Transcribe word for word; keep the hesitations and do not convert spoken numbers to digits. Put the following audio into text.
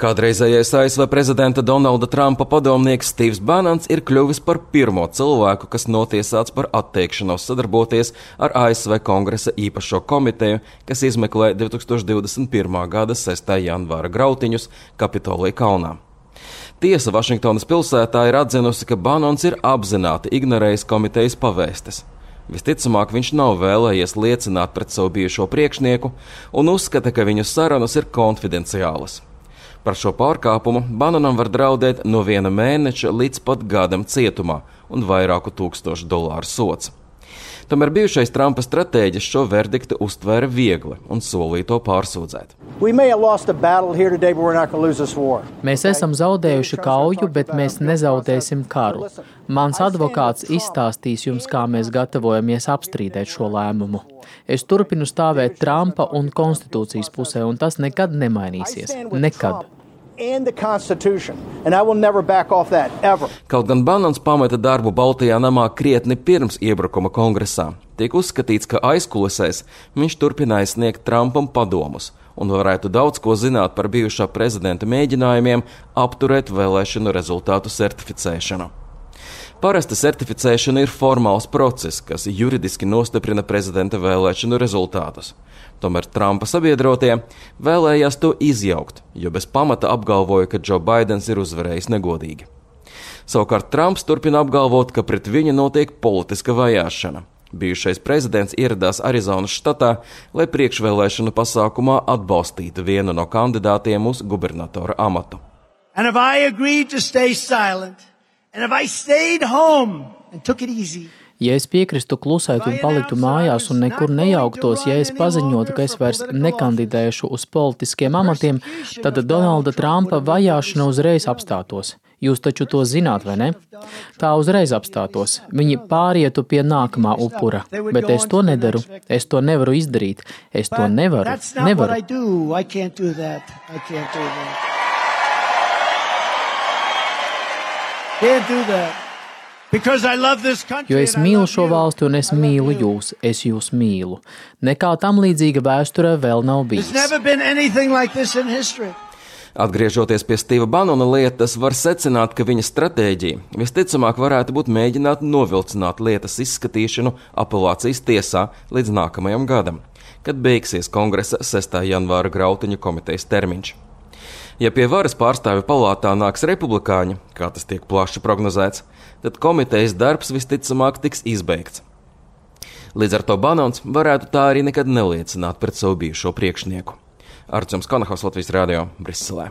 Kādreizējais A S V prezidenta Donalda Trumpa padomnieks Steves Bannons ir kļuvis par pirmo cilvēku, kas notiesāts par atteikšanos sadarboties ar A S V Kongresa īpašo komiteju, kas izmeklē divi tūkstoši divdesmit pirmā gada sestā janvāra grautiņus Kapitolija kalnā. Tiesa Vašingtonas pilsētā ir atzinusi, ka Bannons ir apzināti ignorējis komitejas pavēstes. Visticamāk, viņš nav vēlējies liecināt pret savu bijušo priekšnieku un uzskata, ka viņu sarunas ir konfidenciālas. Par šo pārkāpumu Bannonam var draudēt no viena mēneša līdz pat gadam cietumā un vairāku tūkstošu dolāru sods. Tomēr bijušais Trumpa stratēģis šo verdiktu uztvēra viegli un solīja to pārsūdzēt. Mēs esam zaudējuši kauju, bet mēs nezaudēsim karu. Mans advokāts izstāstīs jums, kā mēs gatavojamies apstrīdēt šo lēmumu. Es turpinu stāvēt Trumpa un konstitūcijas pusē, un tas nekad nemainīsies. Nekad. Kaut gan Bannons pameta darbu Baltajā namā krietni pirms iebrukuma kongresā, tiek uzskatīts, ka aizkulisēs viņš turpināja sniegt Trumpam padomus un varētu daudz ko zināt par bijušā prezidenta mēģinājumiem apturēt vēlēšanu rezultātu certificēšanu. Parasti certificēšana ir formāls process, kas juridiski nostiprina prezidenta vēlēšanu rezultātus. Tomēr Trumpa sabiedrotie vēlējās to izjaukt, jo bez pamata apgalvoja, ka Joe Baidens ir uzvarējis negodīgi. Savukārt Trumps turpina apgalvot, ka pret viņu notiek politiska vajāšana. Bijušais prezidents ieradās Arizonas štatā, lai priekšvēlēšanu pasākumā atbalstītu vienu no kandidātiem uz gubernatora amatu. And if I agreed to stay silent, and if I stayed home and took it easy, ja es piekristu klusēt un paliktu mājās un nekur nejauktos, ja es paziņotu, ka es vairs nekandidēšu uz politiskiem amatiem, tad Donalda Trumpa vajāšana uzreiz apstātos. Jūs taču to zināt, vai ne? Tā uzreiz apstātos. Viņi pārietu pie nākamā upura. Bet es to nedaru. Es to nevaru izdarīt. Es to nevaru. Nevaru. Jo es mīlu šo valsti un es mīlu jūs, es jūs mīlu. Nekā tam līdzīga vēsturē vēl nav bijis. Atgriežoties pie Steva Bannona lietas, var secināt, ka viņa stratēģija visticamāk varētu būt mēģināt novilcināt lietas izskatīšanu apelācijas tiesā līdz nākamajam gadam, kad beigsies Kongresa sestā janvāra grautiņu komitejas termiņš. Ja pie varas pārstāvju palātā nāks republikāņi, kā tas tiek plaši prognozēts, tad komitejas darbs visticamāk tiks izbeigts. Līdz ar to Bannons varētu tā arī nekad neliecināt pret savu bijušo priekšnieku. Arčuns Konahaus, Latvijas radio, Briselē.